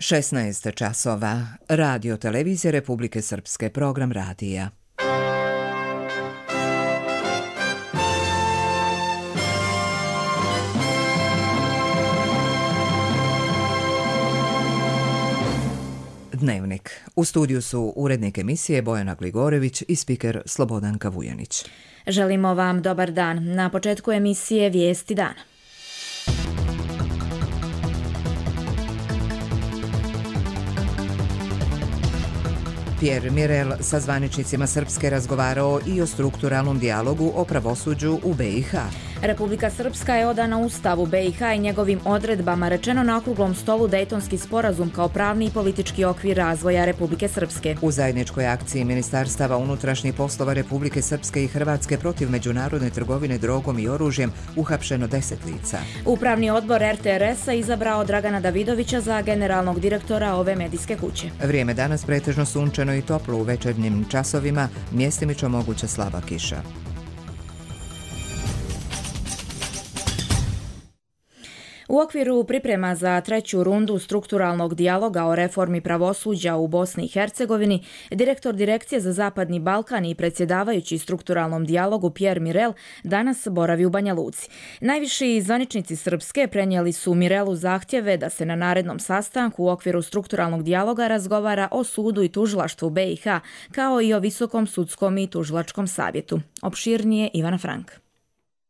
16 časova. Radio televizije Republike Srpske, program radija. Dnevnik. U studiju su urednik emisije Bojana Gligorević i spiker Slobodanka Vujanić. Želimo vam dobar dan. Na početku emisije Vijesti dana. Pierre Mirel sa zvaničnicima Srpske razgovarao i o strukturalnom dijalogu o pravosuđu u BiH. Republika Srpska je odana Ustavu BiH i njegovim odredbama, rečeno na okruglom stolu Dejtonski sporazum kao pravni i politički okvir razvoja Republike Srpske. U zajedničkoj akciji Ministarstava unutrašnjih poslova Republike Srpske i Hrvatske protiv međunarodne trgovine drogom i oružjem uhapšeno 10 lica. Upravni odbor RTRS-a izabrao Dragana Davidovića za generalnog direktora ove medijske kuće. Vrijeme danas pretežno sunčano i toplo, u večernjim časovima mjestimično moguća slaba kiša. U okviru priprema za treću rundu strukturalnog dijaloga o reformi pravosuđa u Bosni i Hercegovini, direktor Direkcije za Zapadni Balkan i predsjedavajući strukturalnom dijalogu Pierre Mirel danas boravi u Banja Luci. Najviši zvaničnici Srpske prenijeli su Mirelu zahtjeve da se na narednom sastanku u okviru strukturalnog dijaloga razgovara o sudu i tužilaštvu BiH, kao i o Visokom sudskom i tužilačkom savjetu. Opširnije Ivana Frank.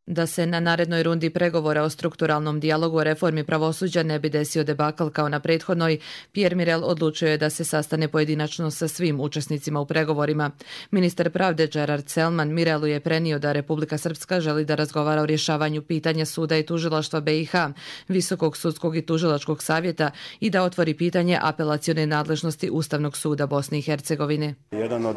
Da se na narednoj rundi pregovora o strukturalnom dijalogu o reformi pravosuđa ne bi desio debakl kao na prethodnoj, Pierre Mirel odlučio je da se sastane pojedinačno sa svim učesnicima u pregovorima. Ministar pravde Gerard Selman Mirelu je prenio da Republika Srpska želi da razgovara o rješavanju pitanja suda i tužilaštva BiH, Visokog sudskog i tužilačkog savjeta i da otvori pitanje apelacione nadležnosti Ustavnog suda Bosne i Hercegovine. Jedan od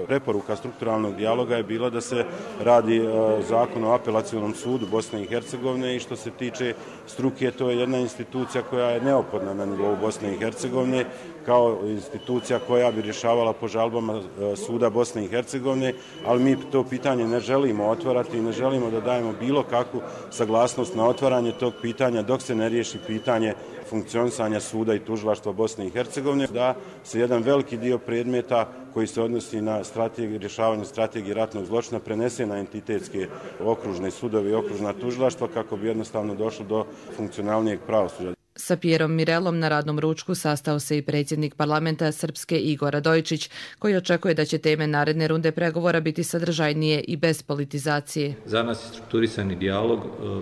preporuka strukturalnog dijaloga je bilo da se radi zakon o apelacionom sudu Bosne i Hercegovine i što se tiče struke, to je jedna institucija koja je neophodna na nivou Bosne i Hercegovine kao institucija koja bi rješavala po žalbama suda Bosne i Hercegovine, ali mi to pitanje ne želimo otvarati i ne želimo da dajemo bilo kakvu saglasnost na otvaranje tog pitanja dok se ne riješi pitanje funkcionisanja suda i tužilaštva Bosne i Hercegovine, da se jedan veliki dio predmeta koji se odnosi na rješavanje strategije ratnog zločina prenese na entitetske okružne sudove i okružna tužilaštva kako bi jednostavno došlo do funkcionalnijeg pravosuđa. Sa Pierom Mirelom na radnom ručku sastao se i predsjednik parlamenta Srpske Igor Radojičić, koji očekuje da će teme naredne runde pregovora biti sadržajnije i bez politizacije. Za nas je strukturisani dijalog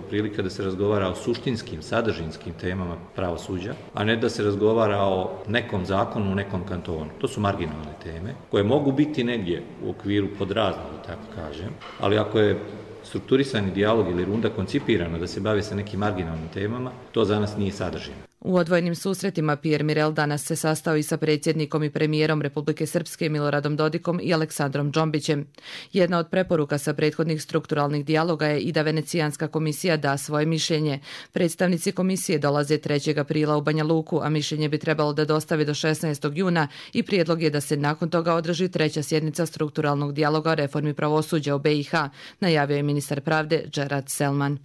prilika da se razgovara o suštinskim, sadržinskim temama pravosuđa, a ne da se razgovara o nekom zakonu u nekom kantonu. To su marginalne teme koje mogu biti negdje u okviru podrazno, da tako kažem, ali ako je strukturisani dijalog ili runda koncipirana da se bavi sa nekim marginalnim temama, to za nas nije sadržajno. U odvojenim susretima Pierre Mirel danas se sastao i sa predsjednikom i premijerom Republike Srpske Miloradom Dodikom i Aleksandrom Džombićem. Jedna od preporuka sa prethodnih strukturalnih dijaloga je i da Venecijanska komisija da svoje mišljenje. Predstavnici komisije dolaze 3. aprila u Banja Luku, a mišljenje bi trebalo da dostavi do 16. juna i prijedlog je da se nakon toga održi treća sjednica strukturalnog dijaloga o reformi pravosuđa u BiH, najavio je ministar pravde Gerard Selman.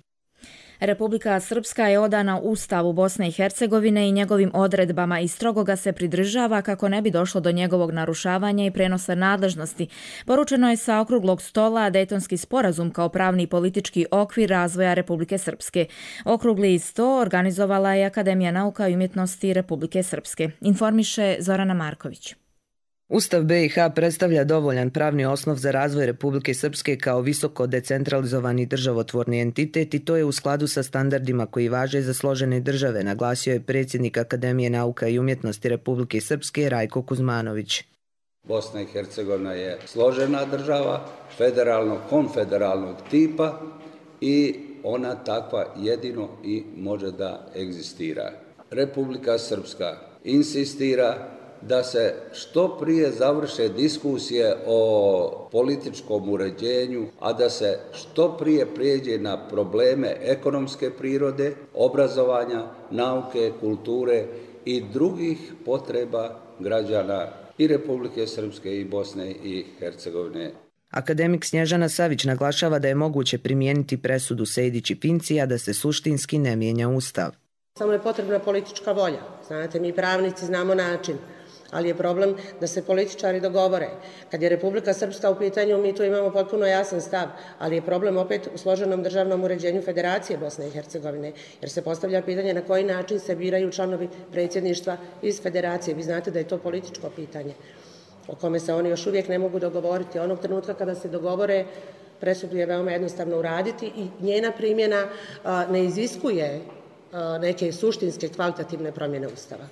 Republika Srpska je odana Ustavu Bosne i Hercegovine i njegovim odredbama i strogo ga se pridržava kako ne bi došlo do njegovog narušavanja i prenosa nadležnosti. Poručeno je sa okruglog stola Dejtonski sporazum kao pravni i politički okvir razvoja Republike Srpske. Okrugli sto organizovala je Akademija nauka i umjetnosti Republike Srpske. Informiše Zorana Marković. Ustav BiH predstavlja dovoljan pravni osnov za razvoj Republike Srpske kao visoko decentralizovani državotvorni entitet i to je u skladu sa standardima koji važe za složene države, naglasio je predsjednik Akademije nauka i umjetnosti Republike Srpske Rajko Kuzmanović. Bosna i Hercegovina je složena država, federalno-konfederalnog tipa i ona takva jedino i može da egzistira. Republika Srpska insistira da se što prije završe diskusije o političkom uređenju, a da se što prije prijeđe na probleme ekonomske prirode, obrazovanja, nauke, kulture i drugih potreba građana i Republike Srpske i Bosne i Hercegovine. Akademik Snježana Savić naglašava da je moguće primijeniti presudu Sejdić i Pinci, a da se suštinski ne mijenja Ustav. Samo je potrebna politička volja. Znate, mi pravnici znamo način, ali je problem da se političari dogovore. Kad je Republika Srpska u pitanju, mi tu imamo potpuno jasan stav, ali je problem opet u složenom državnom uređenju Federacije Bosne i Hercegovine, jer se postavlja pitanje na koji način se biraju članovi predsjedništva iz Federacije. Vi znate da je to političko pitanje o kome se oni još uvijek ne mogu dogovoriti. Onog trenutka kada se dogovore, presudu je veoma jednostavno uraditi i njena primjena ne iziskuje neke suštinske kvalitativne promjene Ustava.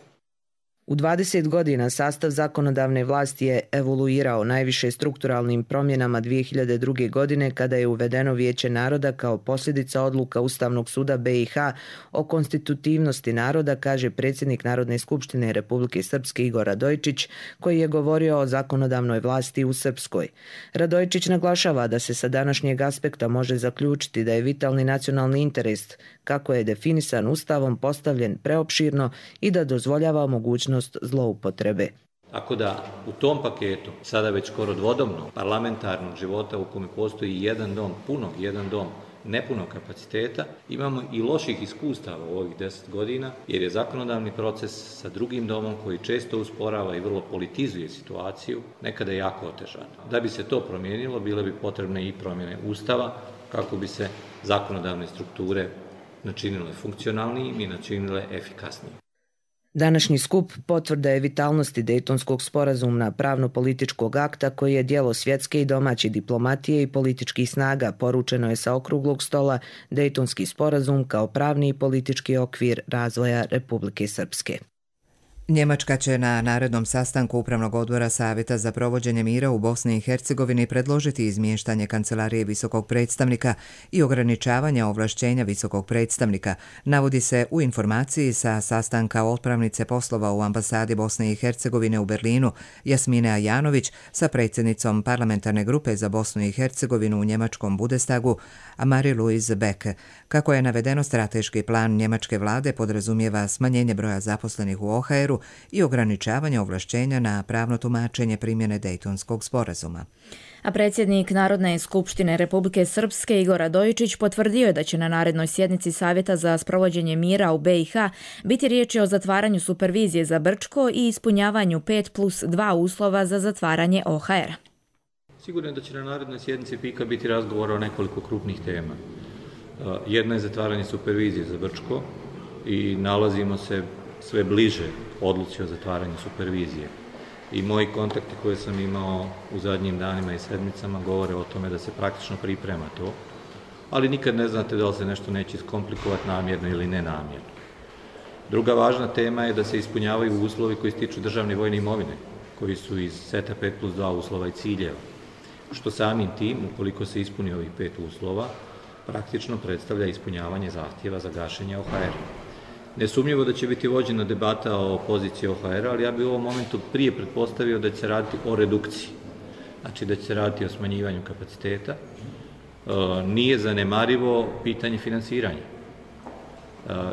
U 20 godina sastav zakonodavne vlasti je evoluirao najviše strukturalnim promjenama 2002. godine kada je uvedeno Vijeće naroda kao posljedica odluka Ustavnog suda BiH o konstitutivnosti naroda, kaže predsjednik Narodne skupštine Republike Srpske Igor Radojičić, koji je govorio o zakonodavnoj vlasti u Srpskoj. Radojičić naglašava da se sa današnjeg aspekta može zaključiti da je vitalni nacionalni interes, kako je definisan Ustavom, postavljen preopširno i da dozvoljava mogućnost zloupotrebe. Tako da u tom paketu, sada već skoro dvodomnog parlamentarnog života u kome postoji jedan dom punog, jedan dom nepunog kapaciteta, imamo i loših iskustava u ovih 10 godina, jer je zakonodavni proces sa drugim domom koji često usporava i vrlo politizuje situaciju, nekada jako otežan. Da bi se to promijenilo, bile bi potrebne i promjene Ustava, kako bi se zakonodavne strukture načinile funkcionalnijim i načinile efikasnijim. Današnji skup potvrda je vitalnosti Dejtonskog sporazuma, pravno-političkog akta koji je djelo svjetske i domaće diplomatije i političkih snaga, poručeno je sa okruglog stola Dejtonski sporazum kao pravni i politički okvir razvoja Republike Srpske. Njemačka će na narednom sastanku Upravnog odbora Savjeta za provođenje mira u Bosni i Hercegovini predložiti izmještanje Kancelarije visokog predstavnika i ograničavanje ovlašćenja visokog predstavnika, navodi se u informaciji sa sastanka otpravnice poslova u ambasadi Bosne i Hercegovine u Berlinu Jasmine Ajanović sa predsjednicom parlamentarne grupe za Bosnu i Hercegovinu u njemačkom Bundestagu Marie-Louise Beck. Kako je navedeno, strateški plan njemačke vlade podrazumijeva smanjenje broja zaposlenih u OHR-u i ograničavanje ovlašćenja na pravno tumačenje primjene Dejtonskog sporazuma. A predsjednik Narodne skupštine Republike Srpske Igor Radojičić potvrdio je da će na narednoj sjednici Savjeta za sprovođenje mira u BiH biti riječi o zatvaranju supervizije za Brčko i ispunjavanju 5+2 uslova za zatvaranje OHR-a. Sigurno je da će na narednoj sjednici PIK-a biti razgovora o nekoliko krupnih tema. Jedna je zatvaranje supervizije za Brčko i nalazimo se sve bliže odluci o zatvaranju supervizije. I moji kontakti koje sam imao u zadnjim danima i sedmicama govore o tome da se praktično priprema to, ali nikad ne znate da li se nešto neće iskomplikovati namjerno ili nenamjerno. Druga važna tema je da se ispunjavaju uslovi koji se tiču državne vojne imovine, koji su iz seta 5+2 uslova i ciljeva, što samim tim, ukoliko se ispuni ovih 5 uslova, praktično predstavlja ispunjavanje zahtjeva za gašenje OHR-a. Nesumnjivo da će biti vođena debata o poziciji OHR-a, ali ja bih u ovom momentu prije pretpostavio da će se raditi o redukciji. Znači da će se raditi o smanjivanju kapaciteta. Nije zanemarivo pitanje finansiranja.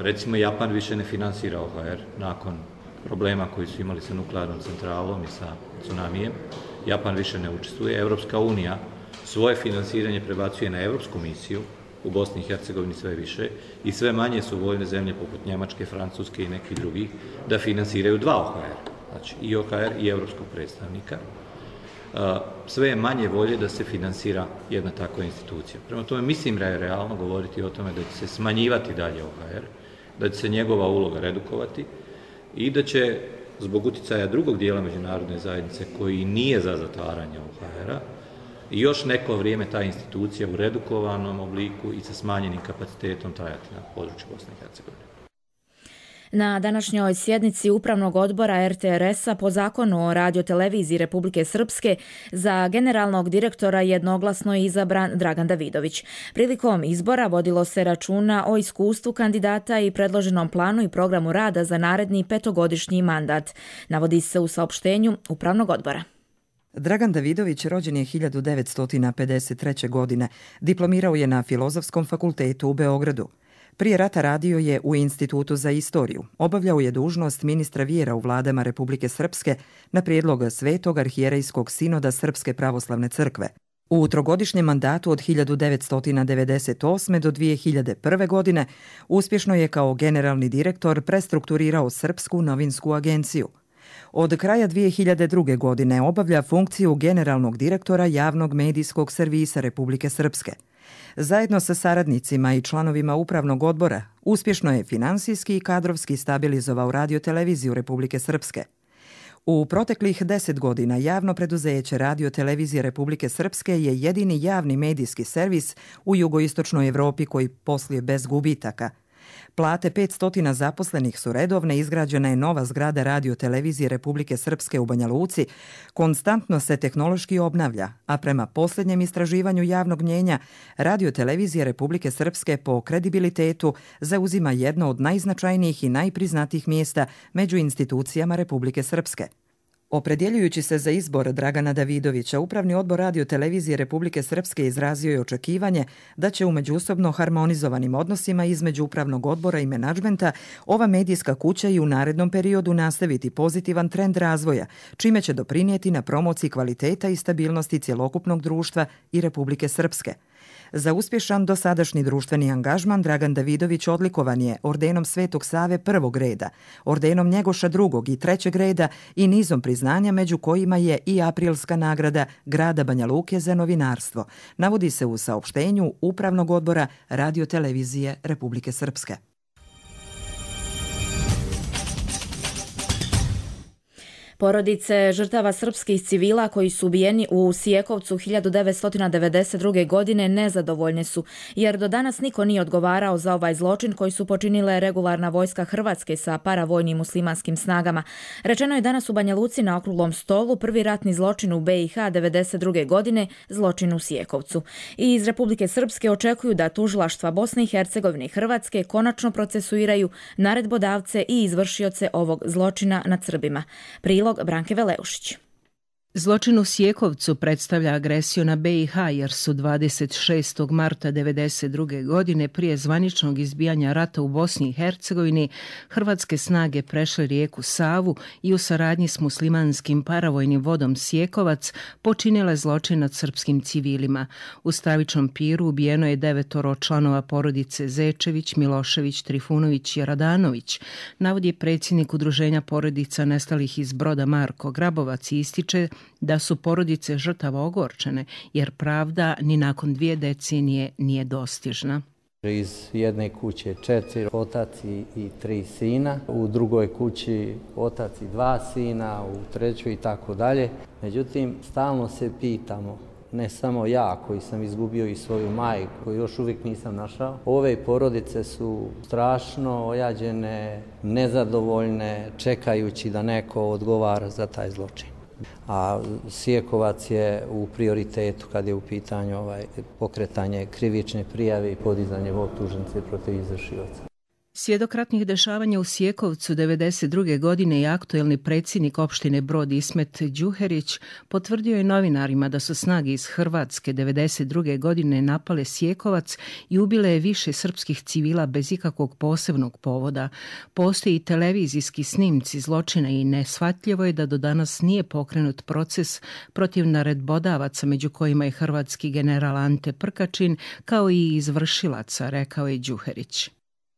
Recimo, Japan više ne finansira OHR nakon problema koji su imali sa nuklearnom centralom i sa tsunamijem. Japan više ne učestvuje. Evropska unija svoje finansiranje prebacuje na Evropsku misiju u Bosni i Hercegovini sve više i sve manje su voljne zemlje poput Njemačke, Francuske i nekih drugih da finansiraju 2 OHR, znači i OHR i evropskog predstavnika. Sve je manje volje da se finansira jedna takva institucija. Prema tome mislim da je realno govoriti o tome da će se smanjivati dalje OHR, da će se njegova uloga redukovati i da će zbog uticaja drugog dijela međunarodne zajednice koji nije za zatvaranje OHR-a i još neko vrijeme ta institucija u redukovanom obliku i sa smanjenim kapacitetom trajati na području Bosne i Hercegovine. Na današnjoj sjednici Upravnog odbora RTRS-a po zakonu o radioteleviziji Republike Srpske za generalnog direktora jednoglasno je izabran Dragan Davidović. Prilikom izbora vodilo se računa o iskustvu kandidata i predloženom planu i programu rada za naredni 5-godišnji mandat, navodi se u saopštenju Upravnog odbora. Dragan Davidović rođen je 1953. godine. Diplomirao je na Filozofskom fakultetu u Beogradu. Prije rata radio je u Institutu za istoriju. Obavljao je dužnost ministra vjera u vladama Republike Srpske na prijedlog Svetog arhijerejskog sinoda Srpske pravoslavne crkve. U trogodišnjem mandatu od 1998. do 2001. godine uspješno je kao generalni direktor prestrukturirao Srpsku novinsku agenciju. Od kraja 2002. godine obavlja funkciju generalnog direktora javnog medijskog servisa Republike Srpske. Zajedno sa saradnicima i članovima upravnog odbora uspješno je finansijski i kadrovski stabilizovao Radio-televiziju Republike Srpske. U proteklih 10 godina javno preduzeće Radio-televizije Republike Srpske je jedini javni medijski servis u jugoistočnoj Evropi koji posluje bez gubitaka. Plate 500 zaposlenih su redovne, izgrađena je nova zgrada Radio-televizije Republike Srpske u Banja Luci, konstantno se tehnološki obnavlja, a prema posljednjem istraživanju javnog mnjenja, Radio-televizija Republike Srpske po kredibilitetu zauzima jedno od najznačajnijih i najpriznatijih mjesta među institucijama Republike Srpske. Opredjeljujući se za izbor Dragana Davidovića, Upravni odbor Radio-televizije Republike Srpske izrazio je očekivanje da će u međusobno harmonizovanim odnosima između Upravnog odbora i menadžmenta ova medijska kuća i u narednom periodu nastaviti pozitivan trend razvoja, čime će doprinijeti na promociji kvaliteta i stabilnosti cjelokupnog društva i Republike Srpske. Za uspješan dosadašnji društveni angažman Dragan Davidović odlikovan je ordenom Svetog Save prvog reda, ordenom Njegoša drugog i trećeg reda i nizom priznanja među kojima je i aprilska nagrada grada Banja Luke za novinarstvo, navodi se u saopštenju Upravnog odbora Radio-televizije Republike Srpske. Porodice žrtava srpskih civila koji su ubijeni u Sijekovcu 1992. godine nezadovoljne su, jer do danas niko nije odgovarao za ovaj zločin koji su počinile regularna vojska Hrvatske sa paravojnim muslimanskim snagama. Rečeno je danas u Banja Luci na okruglom stolu prvi ratni zločin u BiH 1992. godine, zločin u Sijekovcu. I iz Republike Srpske očekuju da tužilaštva Bosne i Hercegovine i Hrvatske konačno procesuiraju naredbodavce i izvršioce ovog zločina nad Srbima. Prilog Branke Veleušić. Zločin u Sijekovcu predstavlja agresiju na BiH jer su 26. marta 1992. godine prije zvaničnog izbijanja rata u Bosni i Hercegovini hrvatske snage prešle rijeku Savu i u saradnji s muslimanskim paravojnim vodom Sijekovac počinile zločin nad srpskim civilima. U stravičnom piru ubijeno je 9 članova porodice Zečević, Milošević, Trifunović i Radanović, navodi predsjednik Udruženja porodica nestalih iz Broda Marko Grabovac i ističe da su porodice žrtava ogorčene, jer pravda ni nakon 2 decenije nije dostižna. Iz jedne kuće 4 otac i 3 sina, u drugoj kući otac i 2 sina, u trećoj i tako dalje. Međutim, stalno se pitamo, ne samo ja koji sam izgubio i svoju majku, koju još uvijek nisam našao. Ove porodice su strašno ojađene, nezadovoljne, čekajući da neko odgovara za taj zločin. A Sijekovac je u prioritetu kad je u pitanju pokretanje krivične prijave i podizanje optužnice protiv izvršioca. Svjedok ratnih dešavanja u Sijekovcu 1992. godine i aktuelni predsjednik opštine Brod Ismet Đuherić potvrdio je novinarima da su snage iz Hrvatske 1992. godine napale Sijekovac i ubile je više srpskih civila bez ikakvog posebnog povoda. Postoji i televizijski snimci zločina i neshvatljivo je da do danas nije pokrenut proces protiv naredbodavaca, među kojima je hrvatski general Ante Prkačin, kao i izvršilaca, rekao je Đuherić.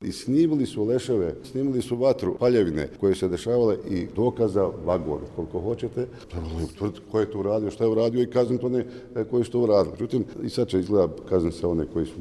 I snimili su leševe, snimili su vatru, paljevine koje se dešavale i dokaza vagon, koliko hoćete. Trebalo je utvrditi ko je to uradio, šta je uradio i kazniti one koji su to uradili. Međutim, i sad će izgleda kazniti se one koji su,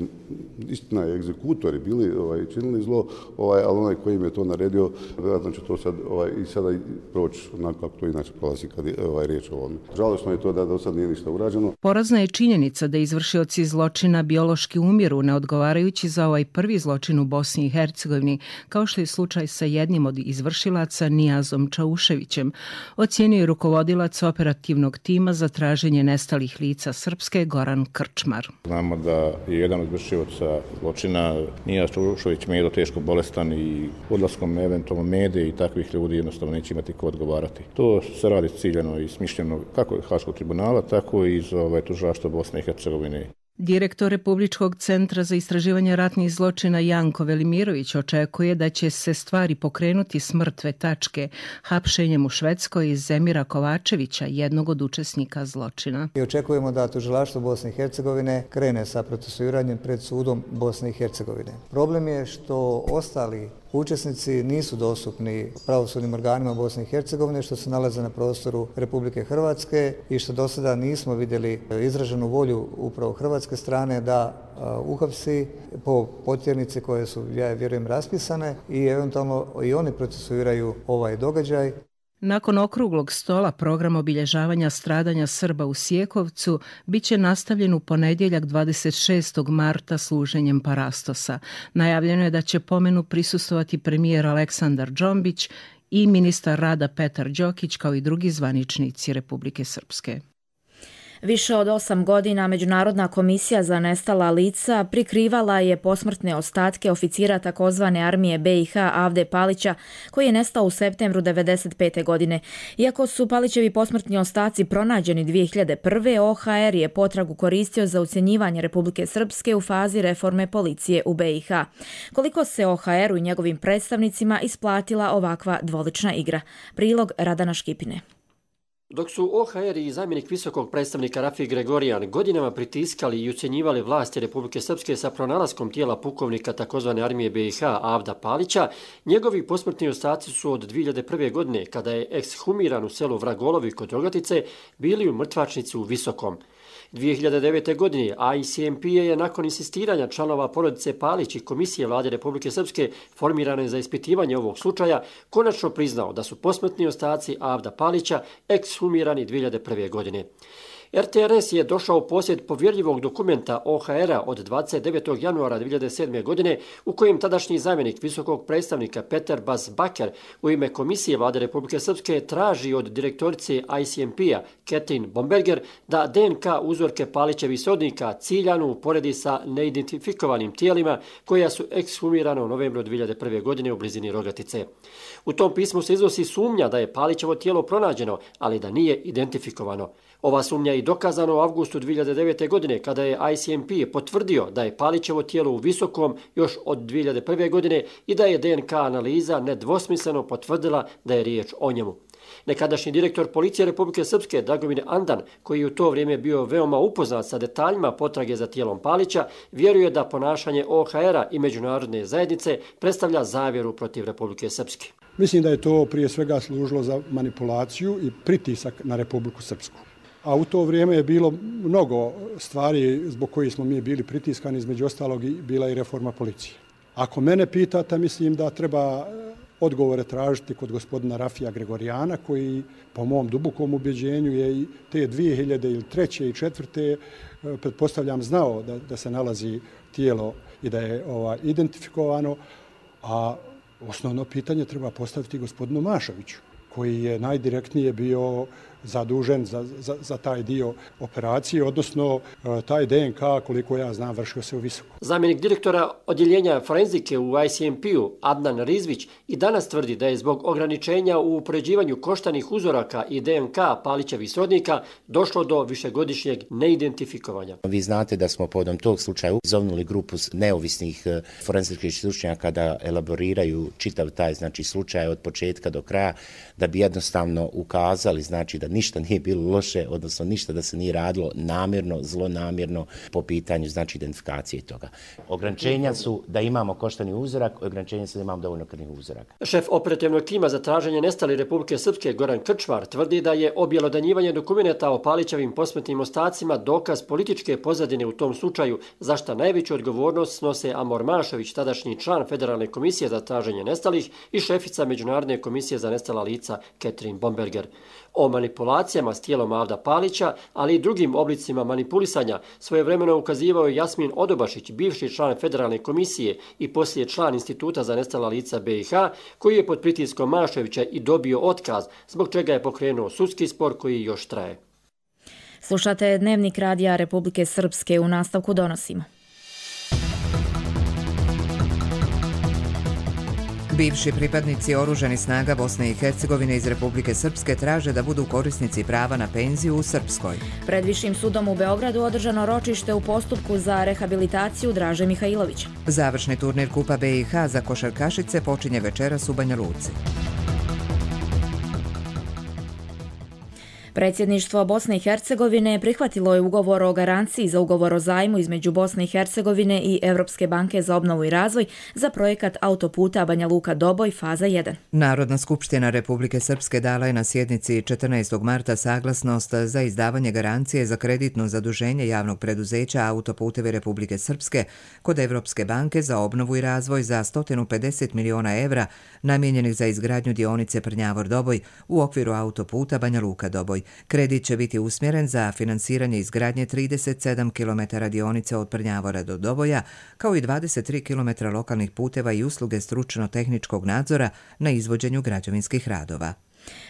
istina, egzekutori bili, činili zlo, ali onaj koji im je to naredio, vjerojatno će to sad i sada proći onako kako to inače prolazi kad je riječ o ovome. Žalosno je to da do sad nije ništa urađeno. Porazna je činjenica da izvršioci zločina biološki umiru, ne odgovarajući za ovaj prvi zločin u Bosni i Hercegovini, kao što je slučaj sa jednim od izvršilaca Nijazom Čauševićem, ocijenio je rukovodilac operativnog tima za traženje nestalih lica Srpske Goran Krčmar. Znamo da je jedan od izvršilaca zločina Nijaz Čaušević medo teško bolestan i odlaskom eventualno mede i takvih ljudi jednostavno neće imati ko odgovarati. To se radi ciljano i smišljeno kako iz Haškog tribunala, tako i iz tužilaštva Bosne i Hercegovine. Direktor Republičkog centra za istraživanje ratnih zločina Janko Velimirović očekuje da će se stvari pokrenuti s mrtve tačke hapšenjem u Švedskoj iz Zemira Kovačevića, jednog od učesnika zločina. I očekujemo da tužilaštvo Bosne i Hercegovine krene sa procesuiranjem pred sudom Bosne i Hercegovine. Problem je što ostali učesnici nisu dostupni pravosudnim organima Bosne i Hercegovine, što se nalaze na prostoru Republike Hrvatske i što do sada nismo vidjeli izraženu volju upravo hrvatske strane da uhapsi po potjernici koje su, ja vjerujem, raspisane i eventualno i oni procesuiraju ovaj događaj. Nakon okruglog stola program obilježavanja stradanja Srba u Sjekovcu bit će nastavljen u ponedjeljak 26. marta služenjem parastosa. Najavljeno je da će pomenu prisustvovati premijer Aleksandar Džombić i ministar rada Petar Đokić kao i drugi zvaničnici Republike Srpske. Više od 8 godina Međunarodna komisija za nestala lica prikrivala je posmrtne ostatke oficira takozvane armije BiH Avde Palića, koji je nestao u septembru 1995. godine. Iako su Palićevi posmrtni ostaci pronađeni 2001. OHR je potragu koristio za ucjenjivanje Republike Srpske u fazi reforme policije u BiH. Koliko se OHR-u i njegovim predstavnicima isplatila ovakva dvolična igra? Prilog Radana Škipine. Dok su OHR i zamjenik visokog predstavnika Rafi Gregorijan godinama pritiskali i ucjenjivali vlasti Republike Srpske sa pronalaskom tijela pukovnika tzv. armije BiH Avda Palića, njegovi posmrtni ostaci su od 2001. godine, kada je ekshumiran u selu Vragolovi kod Rogatice, bili u mrtvačnici u Visokom. 2009. godine ICMP je nakon insistiranja članova porodice Palić i Komisije vlade Republike Srpske formirane za ispitivanje ovog slučaja konačno priznao da su posmrtni ostaci Avda Palića ekshumirani 2001. godine. RTRS je došao u posjed povjerljivog dokumenta OHR-a od 29. januara 2007. godine u kojem tadašnji zamjenik visokog predstavnika Petar Bas-Baker u ime Komisije vlade Republike Srpske traži od direktorice ICMP-a Ketrin Bomberger da DNK uzorke Palićevih srodnika ciljano uporedi sa neidentifikovanim tijelima koja su ekshumirana u novembru 2001. godine u blizini Rogatice. U tom pismu se iznosi sumnja da je Palićevo tijelo pronađeno, ali da nije identifikovano. Ova sumnja je i dokazana u avgustu 2009. godine kada je ICMP potvrdio da je Palićevo tijelo u Visokom još od 2001. godine i da je DNK analiza nedvosmisleno potvrdila da je riječ o njemu. Nekadašnji direktor policije Republike Srpske Dragomir Andan, koji je u to vrijeme bio veoma upoznat sa detaljima potrage za tijelom Palića, vjeruje da ponašanje OHR-a i međunarodne zajednice predstavlja zavjeru protiv Republike Srpske. Mislim da je to prije svega služilo za manipulaciju i pritisak na Republiku Srpsku. A u to vrijeme je bilo mnogo stvari zbog kojih smo mi bili pritiskani, između ostalog bila i reforma policije. Ako mene pitate, mislim da treba odgovore tražiti kod gospodina Rafija Gregorijana, koji po mom dubokom ubjeđenju je i te 2003. i 2004. pretpostavljam znao da se nalazi tijelo i da je identifikovano, a osnovno pitanje treba postaviti gospodinu Mašoviću, koji je najdirektnije bio zadužen za taj dio operacije, odnosno taj DNK, koliko ja znam, vršio se u Visokom. Zamjenik direktora odjeljenja forenzike u ICMP-u Adnan Rizvić i danas tvrdi da je zbog ograničenja u upoređivanju koštanih uzoraka i DNK Palićevih srodnika došlo do višegodišnjeg neidentifikovanja. Vi znate da smo povodom tog slučaja zovnuli grupu neovisnih forenzičkih stručnjaka da elaboriraju čitav taj slučaj od početka do kraja, da bi jednostavno ukazali da ništa nije bilo loše, odnosno ništa da se nije radilo namjerno, zlonamjerno po pitanju identifikacije toga. Ograničenja su da imamo koštani uzorak, ograničenja su da imamo dovoljno krvnih uzoraka. Šef operativnog tima za traženje nestali Republike Srpske Goran Krčmar tvrdi da je objelodanjivanje dokumenta o Palićevim posmrtnim ostacima dokaz političke pozadine u tom slučaju, za šta najveću odgovornost snose Amor Mašović, tadašnji član Federalne komisije za traženje nestalih i šefica Međunarodne komisije za nestala lica Ketrin Bomberger. O manipulacijama s tijelom Avda Palića, ali i drugim oblicima manipulisanja, svojevremeno ukazivao je Jasmin Odobašić, bivši član Federalne komisije i poslije član Instituta za nestala lica BiH, koji je pod pritiskom Mašovića i dobio otkaz, zbog čega je pokrenuo sudski spor koji još traje. Slušate Dnevnik radija Republike Srpske, u nastavku donosimo. Bivši pripadnici oružanih snaga Bosne i Hercegovine iz Republike Srpske traže da budu korisnici prava na penziju u Srpskoj. Pred Višim sudom u Beogradu održano ročište u postupku za rehabilitaciju Draže Mihajlovića. Završni turnir Kupa BiH za košarkašice počinje večeras u Banja Luci. Predsjedništvo Bosne i Hercegovine prihvatilo je ugovor o garanciji za ugovor o zajmu između Bosne i Hercegovine i Europske banke za obnovu i razvoj za projekat autoputa Banja Luka-Doboj faza 1. Narodna skupština Republike Srpske dala je na sjednici 14. marta saglasnost za izdavanje garancije za kreditno zaduženje javnog preduzeća Autoputevi Republike Srpske kod Europske banke za obnovu i razvoj za 150 miliona evra namijenjenih za izgradnju dionice Prnjavor-Doboj u okviru autoputa Banja Luka-Doboj. Kredit će biti usmjeren za finansiranje izgradnje 37 km dionice od Prnjavora do Doboja, kao i 23 km lokalnih puteva i usluge stručno-tehničkog nadzora na izvođenju građevinskih radova.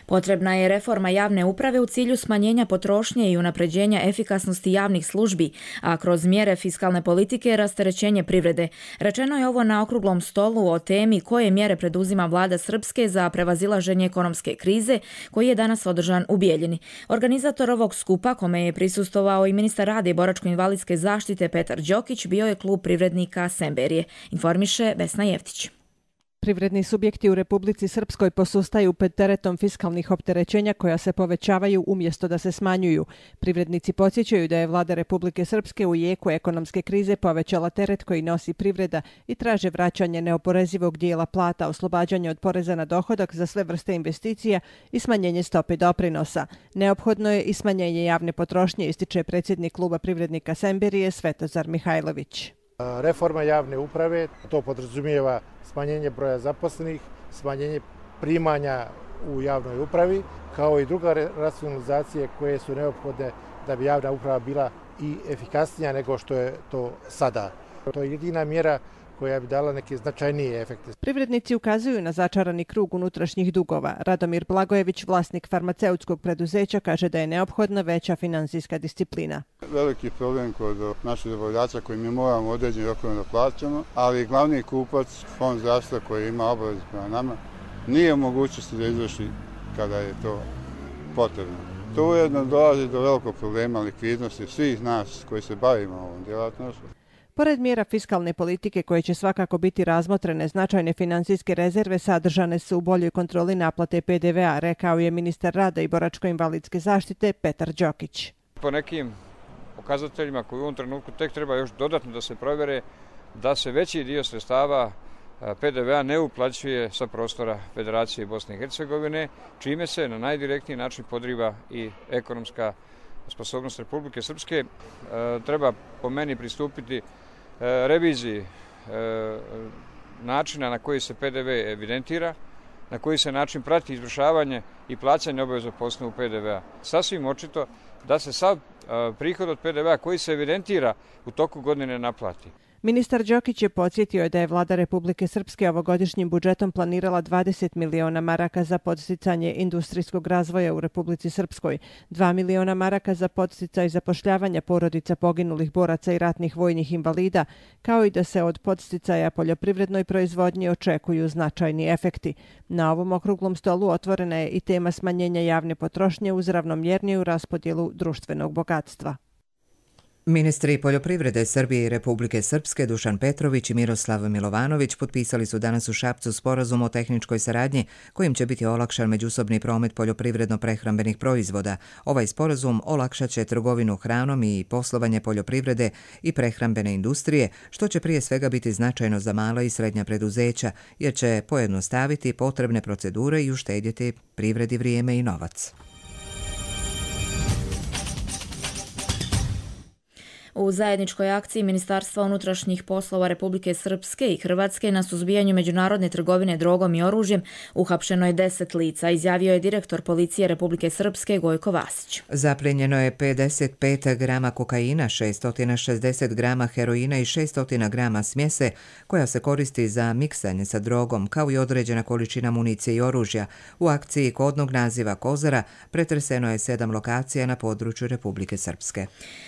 Potrebna je reforma javne uprave u cilju smanjenja potrošnje i unapređenja efikasnosti javnih službi, a kroz mjere fiskalne politike rasterećenje privrede. Rečeno je ovo na okruglom stolu o temi koje mjere preduzima vlada Srpske za prevazilaženje ekonomske krize, koji je danas održan u Bijeljini. Organizator ovog skupa, kome je prisustvovao i ministar rada i boračko-invalidske zaštite Petar Đokić, bio je klub privrednika Semberije, informiše Vesna Jeftić. Privredni subjekti u Republici Srpskoj posustaju pred teretom fiskalnih opterećenja koja se povećavaju umjesto da se smanjuju. Privrednici podsjećaju da je vlada Republike Srpske u jeku ekonomske krize povećala teret koji nosi privreda i traže vraćanje neoporezivog dijela plata, oslobađanje od poreza na dohodak za sve vrste investicija i smanjenje stope doprinosa. Neophodno je i smanjenje javne potrošnje, ističe predsjednik kluba privrednika Semberije Svetozar Mihajlović. Reforma javne uprave, to podrazumijeva smanjenje broja zaposlenih, smanjenje primanja u javnoj upravi, kao i druga racionalizacije koje su neophodne da bi javna uprava bila i efikasnija nego što je to sada. To je jedina mjera koja bi dala neke značajnije efekte. Privrednici ukazuju na začarani krug unutrašnjih dugova. Radomir Blagojević, vlasnik farmaceutskog preduzeća, kaže da je neophodna veća finansijska disciplina. Veliki problem kod naših dobavljača koji mi moramo određeni rokovima da plaćamo, ali glavni kupac, fond zdravstva koji ima obavez prema nama, nije u mogućnosti da izvrši kada je to potrebno. To ujedno dolazi do velikog problema likvidnosti svih nas koji se bavimo ovom djelatnošću. Pored mjera fiskalne politike koje će svakako biti razmotrene, značajne financijske rezerve sadržane su u boljoj kontroli naplate PDV-a, rekao je ministar rada i boračko-invalidske zaštite Petar Đokić. Po nekim pokazateljima koji u ovom trenutku tek treba još dodatno da se provjere, da se veći dio sredstava PDV-a ne uplaćuje sa prostora Federacije Bosne i Hercegovine, čime se na najdirektniji način podriva i ekonomska sposobnost Republike Srpske. Treba po meni pristupiti reviziji načina na koji se PDV evidentira, na koji se način prati izvršavanje i plaćanje obaveza po osnovu PDV-a. Sasvim očito da se sav prihod od PDV-a koji se evidentira u toku godine naplati. Ministar Đokić je podsjetio da je vlada Republike Srpske ovogodišnjim budžetom planirala 20 miliona maraka za podsticanje industrijskog razvoja u Republici Srpskoj, 2 miliona maraka za podsticaj zapošljavanja porodica poginulih boraca i ratnih vojnih invalida, kao i da se od podsticaja poljoprivrednoj proizvodnji očekuju značajni efekti. Na ovom okruglom stolu otvorena je i tema smanjenja javne potrošnje uz ravnomjerniju raspodjelu društvenog bogatstva. Ministri poljoprivrede Srbije i Republike Srpske Dušan Petrović i Miroslav Milovanović potpisali su danas u Šapcu sporazum o tehničkoj saradnji kojim će biti olakšan međusobni promet poljoprivredno-prehrambenih proizvoda. Ovaj sporazum olakšat će trgovinu hranom i poslovanje poljoprivrede i prehrambene industrije, što će prije svega biti značajno za mala i srednja preduzeća, jer će pojednostaviti potrebne procedure i uštedjeti privredi vrijeme i novac. U zajedničkoj akciji Ministarstva unutrašnjih poslova Republike Srpske i Hrvatske na suzbijanju međunarodne trgovine drogom i oružjem uhapšeno je 10 lica, izjavio je direktor policije Republike Srpske Gojko Vasić. Zapljenjeno je 55 grama kokaina, 660 grama heroina i 600 grama smjese koja se koristi za miksanje sa drogom, kao i određena količina municije i oružja. U akciji kodnog naziva Kozara pretreseno je 7 lokacija na području Republike Srpske.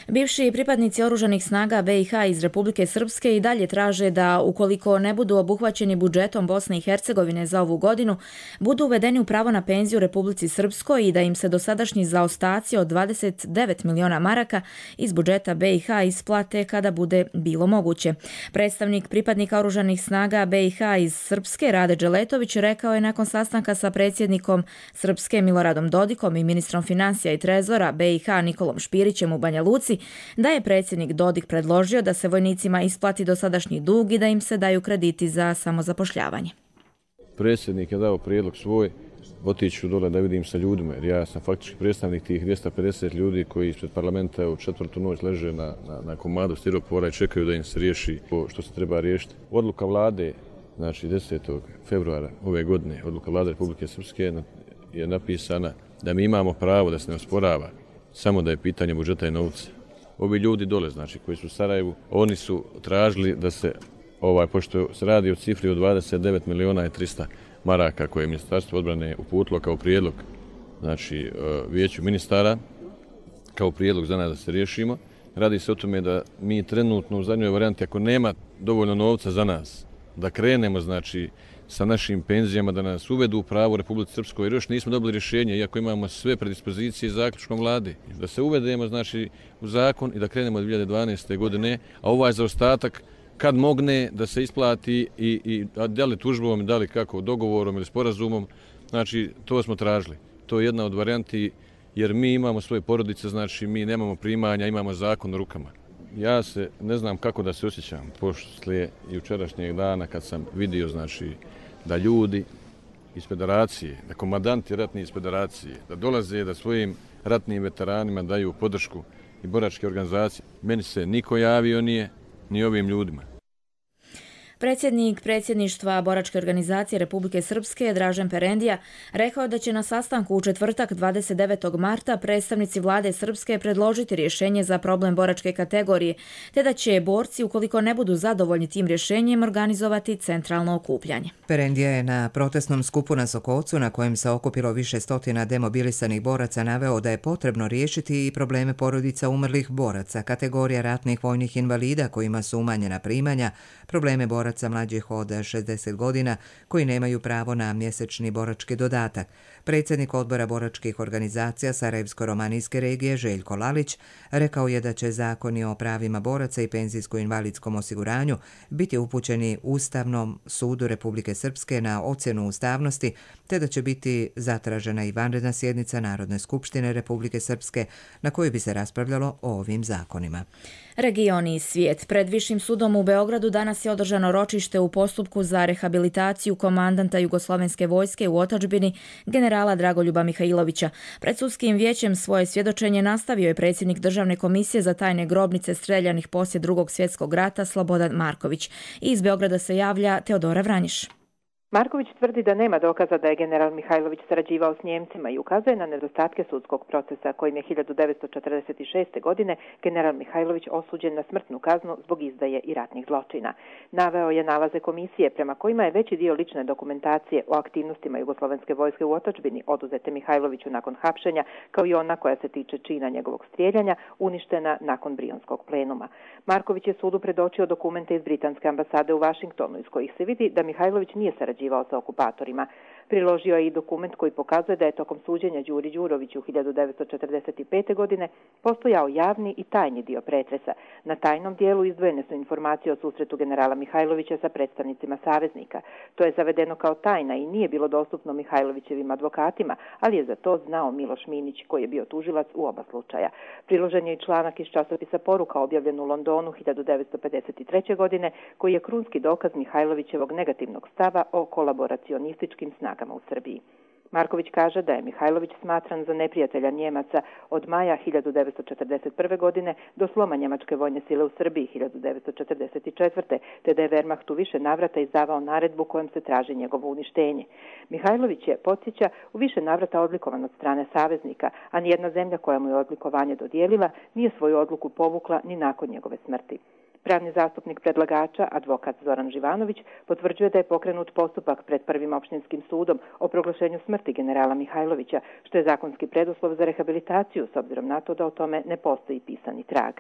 Bivši pripadnici pripadnici oružanih snaga BiH iz Republike Srpske i dalje traže da, ukoliko ne budu obuhvaćeni budžetom Bosne i Hercegovine za ovu godinu, budu uvedeni u pravo na penziju u Republici Srpskoj i da im se dosadašnji zaostaci od 29 miliona maraka iz budžeta BiH isplate kada bude bilo moguće. Predstavnik pripadnika oružanih snaga BiH iz Srpske, Rade Dželetović, rekao je nakon sastanka sa predsjednikom Srpske Miloradom Dodikom i ministrom financija i trezora BiH Nikolom Špirićem u Banja Luci da je predsjednik Dodik predložio da se vojnicima isplati dosadašnji dug i da im se daju krediti za samozapošljavanje. Predsjednik je dao prijedlog svoj, otiću dole da vidim sa ljudima, jer ja sam faktički predstavnik tih 250 ljudi koji ispred parlamenta u četvrtu noć leže na komadu stiropora i čekaju da im se riješi što se treba riješiti. Odluka vlade, znači 10. februara ove godine, odluka vlade Republike Srpske je napisana da mi imamo pravo da se ne osporava, samo da je pitanje budžeta i novca. Ovi ljudi dole, znači, koji su u Sarajevu, oni su tražili da se, pošto se radi o cifri od 29 miliona i 300 maraka koje je Ministarstvo odbrane uputilo kao prijedlog, znači, vijeću ministara, kao prijedlog za nas da se riješimo. Radi se o tome da mi trenutno u zadnjoj varijanti, ako nema dovoljno novca za nas, da krenemo, znači, sa našim penzijama, da nas uvedu u pravo u Republici Srpskoj, jer još nismo dobili rješenje, iako imamo sve predispozicije zaključkom vlade. Da se uvedemo, znači, u zakon i da krenemo od 2012. godine, a ovaj zaostatak, kad mogne da se isplati i da li tužbom, da li kako, dogovorom ili sporazumom, znači, to smo tražili. To je jedna od varijanti, jer mi imamo svoje porodice, znači, mi nemamo primanja, imamo zakon u rukama. Ja se ne znam kako da se osjećam poslije jučerašnjeg dana kad sam vidio, znači, da ljudi iz federacije, da komandanti ratni iz federacije, da dolaze da svojim ratnim veteranima daju podršku i boračke organizacije. Meni se niko javio nije, ni ovim ljudima. Predsjednik predsjedništva boračke organizacije Republike Srpske, Dražen Perendija, rekao da će na sastanku u četvrtak 29. marta predstavnici vlade Srpske predložiti rješenje za problem boračke kategorije, te da će borci, ukoliko ne budu zadovoljni tim rješenjem, organizovati centralno okupljanje. Perendija je na protestnom skupu na Sokolcu, na kojem se okupilo više stotina demobilisanih boraca, naveo da je potrebno riješiti i probleme porodica umrlih boraca, kategorija ratnih vojnih invalida kojima su umanjena primanja, probleme boraca mlađih od 60 godina koji nemaju pravo na mjesečni borački dodatak. Predsjednik odbora boračkih organizacija Sarajevsko-romanijske regije Željko Lalić rekao je da će zakoni o pravima boraca i penzijsko-invalidskom osiguranju biti upućeni Ustavnom sudu Republike Srpske na ocjenu ustavnosti, te da će biti zatražena i vanredna sjednica Narodne skupštine Republike Srpske na kojoj bi se raspravljalo o ovim zakonima. Region i svijet. Pred Višim sudom u Beogradu danas je održano ročište u postupku za rehabilitaciju komandanta Jugoslovenske vojske u otadžbini generala Dragoljuba Mihajlovića. Pred sudskim vijećem svoje svjedočenje nastavio je predsjednik Državne komisije za tajne grobnice streljanih poslije Drugog svjetskog rata Slobodan Marković. Iz Beograda se javlja Teodora Vranjiš. Marković tvrdi da nema dokaza da je general Mihajlović sarađivao s Njemcima i ukazuje na nedostatke sudskog procesa kojim je 1946. godine general Mihajlović osuđen na smrtnu kaznu zbog izdaje i ratnih zločina. Naveo je nalaze komisije prema kojima je veći dio lične dokumentacije o aktivnostima Jugoslovenske vojske u otadžbini oduzete Mihajloviću nakon hapšenja, kao i ona koja se tiče čina njegovog strijeljanja, uništena nakon Brionskog plenuma. Marković je sudu predočio dokumente iz britanske ambasade u Vašingtonu iz kojih se vidi da Mihajlović nije sarađivao sa okupatorima. Priložio je i dokument koji pokazuje da je tokom suđenja Đuri Đuroviću 1945. godine postojao javni i tajni dio pretresa. Na tajnom dijelu izdvojene su informacije o susretu generala Mihajlovića sa predstavnicima saveznika. To je zavedeno kao tajna i nije bilo dostupno Mihajlovićevim advokatima, ali je za to znao Miloš Minić, koji je bio tužilac u oba slučaja. Priložen je i članak iz časopisa Poruka objavljen u Londonu 1953. godine, koji je krunski dokaz Mihajlovićevog negativnog stava o kolaboracionističkim snagama u Srbiji. Marković kaže da je Mihajlović smatran za neprijatelja Njemaca od maja 1941. godine do sloma njemačke vojne sile u Srbiji 1944. te da je Wehrmacht u više navrata izdavao naredbu kojom se traži njegovo uništenje. Mihajlović je, podsjeća, u više navrata odlikovan od strane saveznika, a nijedna zemlja koja mu je odlikovanje dodijelila nije svoju odluku povukla ni nakon njegove smrti. Pravni zastupnik predlagača, advokat Zoran Živanović, potvrđuje da je pokrenut postupak pred Prvim opštinskim sudom o proglašenju smrti generala Mihajlovića, što je zakonski preduslov za rehabilitaciju, s obzirom na to da o tome ne postoji pisani trag.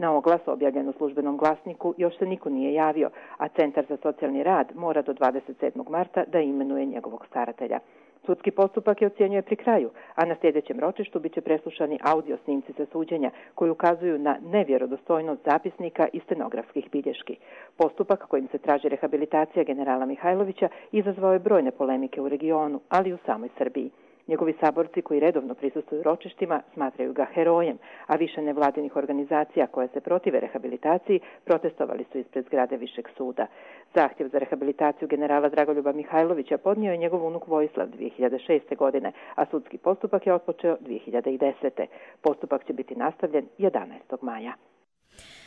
Na oglas objavljen u službenom glasniku još se niko nije javio, a Centar za socijalni rad mora do 27. marta da imenuje njegovog staratelja. Sudski postupak je ocjenjuje pri kraju, a na sljedećem ročištu biće preslušani audio snimci sa suđenja koji ukazuju na nevjerodostojnost zapisnika i stenografskih bilješki. Postupak kojim se traži rehabilitacija generala Mihajlovića izazvao je brojne polemike u regionu, ali i u samoj Srbiji. Njegovi saborci koji redovno prisustvuju ročištima smatraju ga herojem, a više nevladinih organizacija koje se protive rehabilitaciji protestovali su ispred zgrade Višeg suda. Zahtjev za rehabilitaciju generala Dragoljuba Mihajlovića podnio je njegov unuk Vojislav 2006. godine, a sudski postupak je otpočeo 2010. Postupak će biti nastavljen 11. maja.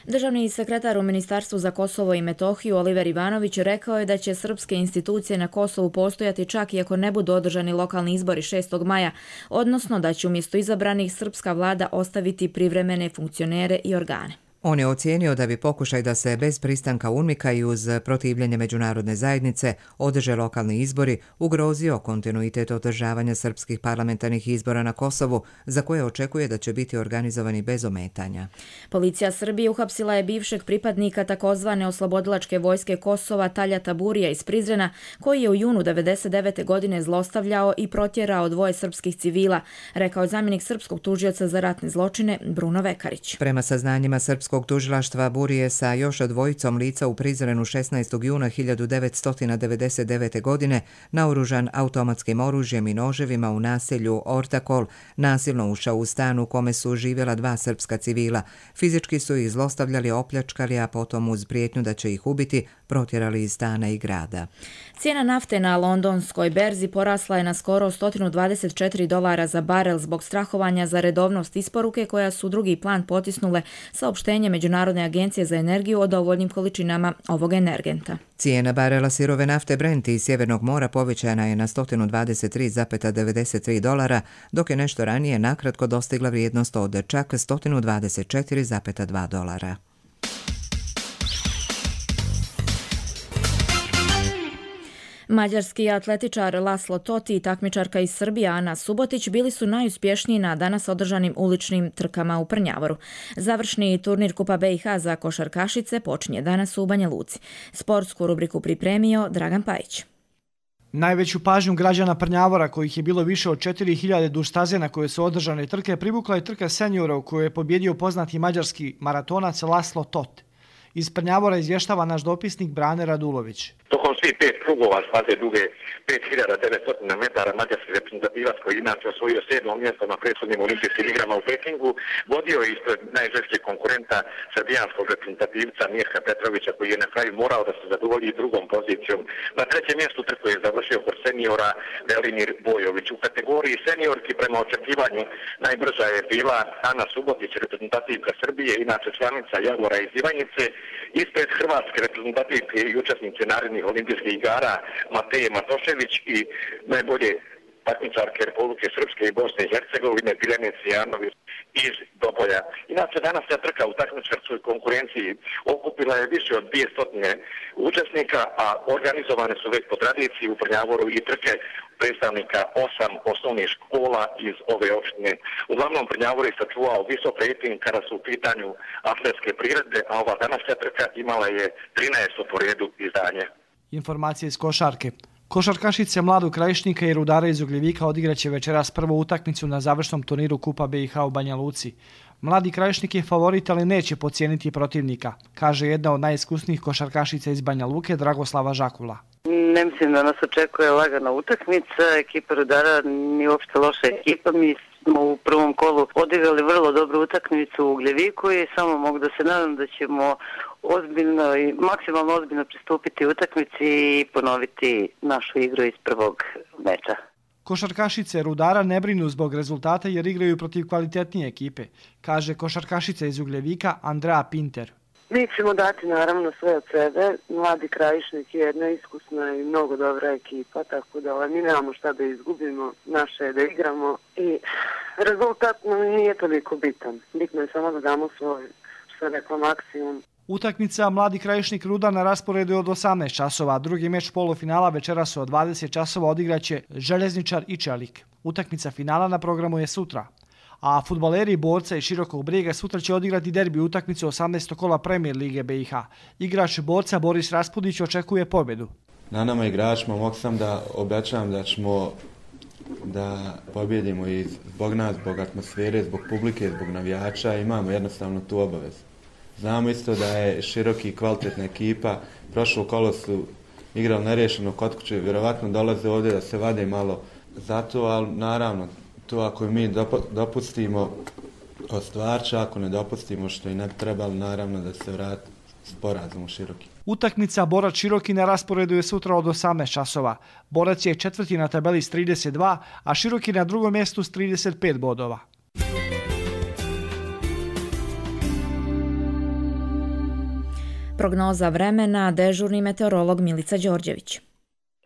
Državni sekretar u Ministarstvu za Kosovo i Metohiju Oliver Ivanović rekao je da će srpske institucije na Kosovu postojati čak i ako ne budu održani lokalni izbori 6. maja, odnosno da će umjesto izabranih srpska vlada ostaviti privremene funkcionere i organe. On je ocijenio da bi pokušaj da se bez pristanka UNMIK-a i uz protivljenje međunarodne zajednice održe lokalni izbori ugrozio kontinuitet održavanja srpskih parlamentarnih izbora na Kosovu, za koje očekuje da će biti organizovani bez ometanja. Policija Srbije uhapsila je bivšeg pripadnika takozvane oslobodilačke vojske Kosova Talja Taburija iz Prizrena, koji je u junu 1999. godine zlostavljao i protjerao 2 srpskih civila, rekao je zamjenik srpskog tužioca za ratne zločine Bruno Vekarić. Prema saznanjima srpskog tužilaštva, Burije sa još 2 lica u Prizrenu 16. juna 1999. godine naoružan automatskim oružjem i noževima u naselju Ortakol nasilno ušao u stan u kome su živjela 2 srpska civila. Fizički su ih zlostavljali, opljačkali, a potom uz prijetnju da će ih ubiti protjerali iz stana i grada. Cijena nafte na londonskoj berzi porasla je na skoro $124 za barel zbog strahovanja za redovnost isporuke koja su drugi plan potisnule saopštenje Međunarodne agencije za energiju o dovoljnim količinama ovog energenta. Cijena barela sirove nafte Brent iz Sjevernog mora povećana je na $123,93, dok je nešto ranije nakratko dostigla vrijednost od čak $124,2. Mađarski atletičar Laslo Toti i takmičarka iz Srbije Ana Subotić bili su najuspješniji na danas održanim uličnim trkama u Prnjavoru. Završni turnir Kupa BiH za košarkašice počinje danas u Banja Luci. Sportsku rubriku pripremio Dragan Pajić. Najveću pažnju građana Prnjavora, kojih je bilo više od 4000 duž staze na koje su održane trke, privukla je trka seniora u kojoj je pobjedio poznati mađarski maratonac Laslo Tot. Iz Prnjavora izvještava naš dopisnik Brane Radulović. Tokom svih 5 krugova staze duge 5900 metara mađarski reprezentativac koji inače osvojio 7. mjesto na prethodnim olimpijskim igrama u Pekingu vodio je ispred najžešćeg konkurenta srbijanskog reprezentativca Mirka Petrovića koji je na kraju morao da se zadovolji drugom pozicijom. Na 3. mjestu trku je završio kod seniora Velimir Bojović. U kategoriji seniorki prema očekivanju najbrža je bila Ana Subotić, reprezentativka Srbije, inače članica Javora iz Ivanjice, ispred hrvatske reprezentativke i učesnice narednih olimpijskih igara Mateje Matošević i najbolje takmičarke Republike Srpske i Bosne i Hercegovine Biljane Cijanović iz Dobolja. Inače, danas je trka u takmičarskoj konkurenciji okupila je više od 200 učesnika, a organizovane su već po tradiciji u Prnjavoru i trke predstavnika 8 osnovnih škola iz ove opštine. Uglavnom, Prnjavor je sačuvao visok rating kada su u pitanju atletske priredbe, a ova današnja trka imala je 13. po redu izdanje. Informacije iz košarke. Košarkašice Mladog Krajišnika i Rudara iz Ugljevika odigraće večeras prvu utakmicu na završnom turniru Kupa BiH u Banja Luci. Mladi Krajišnik je favorit, ali neće podcijeniti protivnika, kaže jedna od najiskusnijih košarkašica iz Banja Luke, Dragoslava Žakula. Ne mislim da nas očekuje lagana utakmica, ekipa Rudara nije uopšte loša ekipa, mi smo u prvom kolu odigrali vrlo dobru utakmicu u Ugljeviku i samo mogu da se nadam da ćemo ozbiljno i maksimalno ozbiljno pristupiti utakmici i ponoviti našu igru iz prvog meča. Košarkašice Rudara ne brinu zbog rezultata jer igraju protiv kvalitetnije ekipe, kaže košarkašica iz Ugljevika Andrea Pinter. Mi ćemo dati naravno sve od sebe. Mladi Krajišnik je jedna iskusna i mnogo dobra ekipa, tako da mi nemamo šta da izgubimo, naše je da igramo i rezultat nije toliko bitan. Bitno je samo da damo svoj, što rekla, maksimum. Utakmica Mladi Krajišnik Rudar na rasporedu je od 18 časova, drugi meč polufinala večeras od 20 časova odigraće Željezničar i Čelik. Utakmica finala na programu je sutra. A fudbaleri Borca i Širokog Brijega sutra će odigrati derbi utakmicu 18. kola Premier Lige BiH. Igrač Borca Boris Raspudić očekuje pobjedu. Na nama igračima mogu sam da obećam da ćemo da pobjedimo i zbog nas, zbog atmosfere, zbog publike, zbog navijača, imamo jednostavno tu obavezu. Znamo isto da je Široki i kvalitetna ekipa, prošlo kolo su igrali nerješeno kod kuće, vjerovatno dolaze ovdje da se vade malo za to, ali naravno, to ako mi dopustimo ostvarča, ako ne dopustimo što i ne bi trebalo, naravno da se vrati sporazum u Široki. Utakmica Borac Široki na rasporedu je sutra od 18 časova. Borac je četvrti na tabeli s 32, a Široki na drugom mjestu s 35 bodova. Prognoza vremena, dežurni meteorolog Milica Đorđević.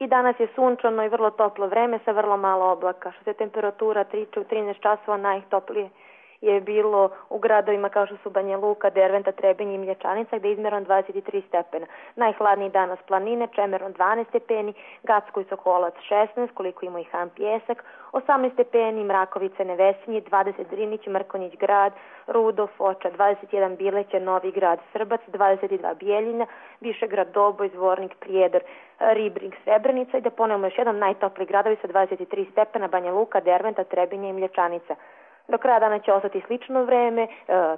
I danas je sunčano i vrlo toplo vreme sa vrlo malo oblaka. Što se temperatura tiče u 13 časova najtoplije je bilo u gradovima kao što su Banja Luka, Derventa, Trebinje i Mlječanica gdje je izmjeron 23 stepena. Najhladniji danas planine, Čemeron 12 stepeni, Gacko i Sokolac 16, koliko ima i Han Pjesak, 18 stepeni, Mrakovice, Nevesinji, 20 Drinić, Mrkonjić grad, Rudo, Foča, 21 Bileće, Novi grad, Srbac, 22 Bijeljina, Višegrad, Doboj, Zvornik, Prijedor, Ribnik, Srebrenica i da ponovimo još jedan najtopliji gradovi sa 23 stepena, Banja Luka, Derventa, Trebinje i Mlječanica. Do kraja dana će ostati slično vreme,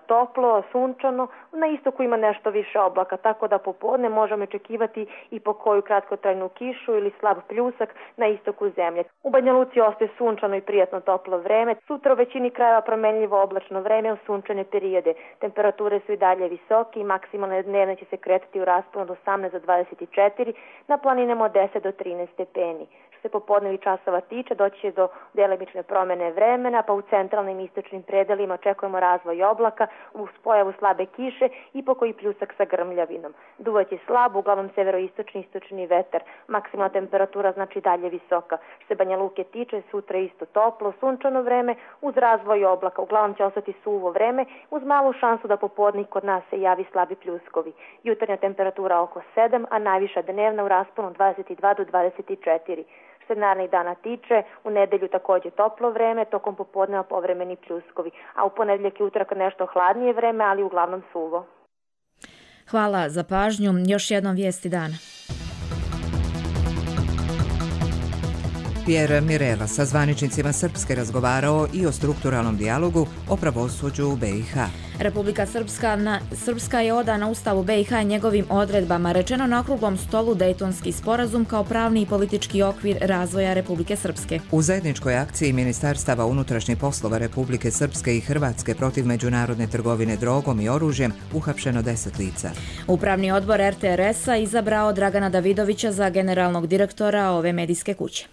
toplo, sunčano, na istoku ima nešto više oblaka, tako da popodne možemo očekivati i po koju kratkotrajnu kišu ili slab pljusak na istoku zemlje. U Banja Luci ostaje sunčano i prijatno toplo vreme, sutra u većini krajeva promjenljivo oblačno vreme u sunčane periode. Temperature su i dalje visoke i maksimalne dnevne će se kretati u rasponu od 18 do 24, na planinama od 10 do 13 stepeni. Što se popodnevi časova tiče, doći će do delimične promjene vremena, pa u centralnim i istočnim predelima očekujemo razvoj oblaka, uz pojavu slabe kiše i pokoji pljusak sa grmljavinom. Duvaće slab, uglavnom severoistočni istočni vetar. Maksimalna temperatura znači dalje visoka. Što se Banja Luke tiče, sutra isto toplo, sunčano vreme, uz razvoj oblaka. Uglavnom će ostati suvo vreme, uz malu šansu da popodne kod nas se javi slabi pljuskovi. Jutarnja temperatura oko 7, a najviša dnevna u rasponu 22 do 24. Što se narednih dana tiče, u nedelju također toplo vreme, tokom popodneva povremeni pljuskovi, a u ponedjeljak i utorak nešto hladnije vreme, ali uglavnom suvo. Hvala za pažnju. Još jednom vijesti dana. Pierre Mirela sa zvaničnicima Srpske razgovarao i o strukturalnom dijalogu o pravosuđu u BiH. Republika Srpska je odana Ustavu BiH i njegovim odredbama, rečeno na okruglom stolu Dejtonski sporazum kao pravni i politički okvir razvoja Republike Srpske. U zajedničkoj akciji Ministarstava unutrašnjih poslova Republike Srpske i Hrvatske protiv međunarodne trgovine drogom i oružjem uhapšeno 10 lica. Upravni odbor RTRS-a izabrao Dragana Davidovića za generalnog direktora ove medijske kuće.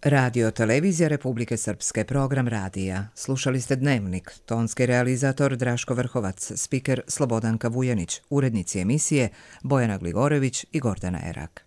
Radio Televizija Republike Srpske, program radija. Slušali ste Dnevnik, tonski realizator Draško Vrhovac, spiker Slobodanka Vujanić, urednici emisije Bojana Gligorević i Gordana Erak.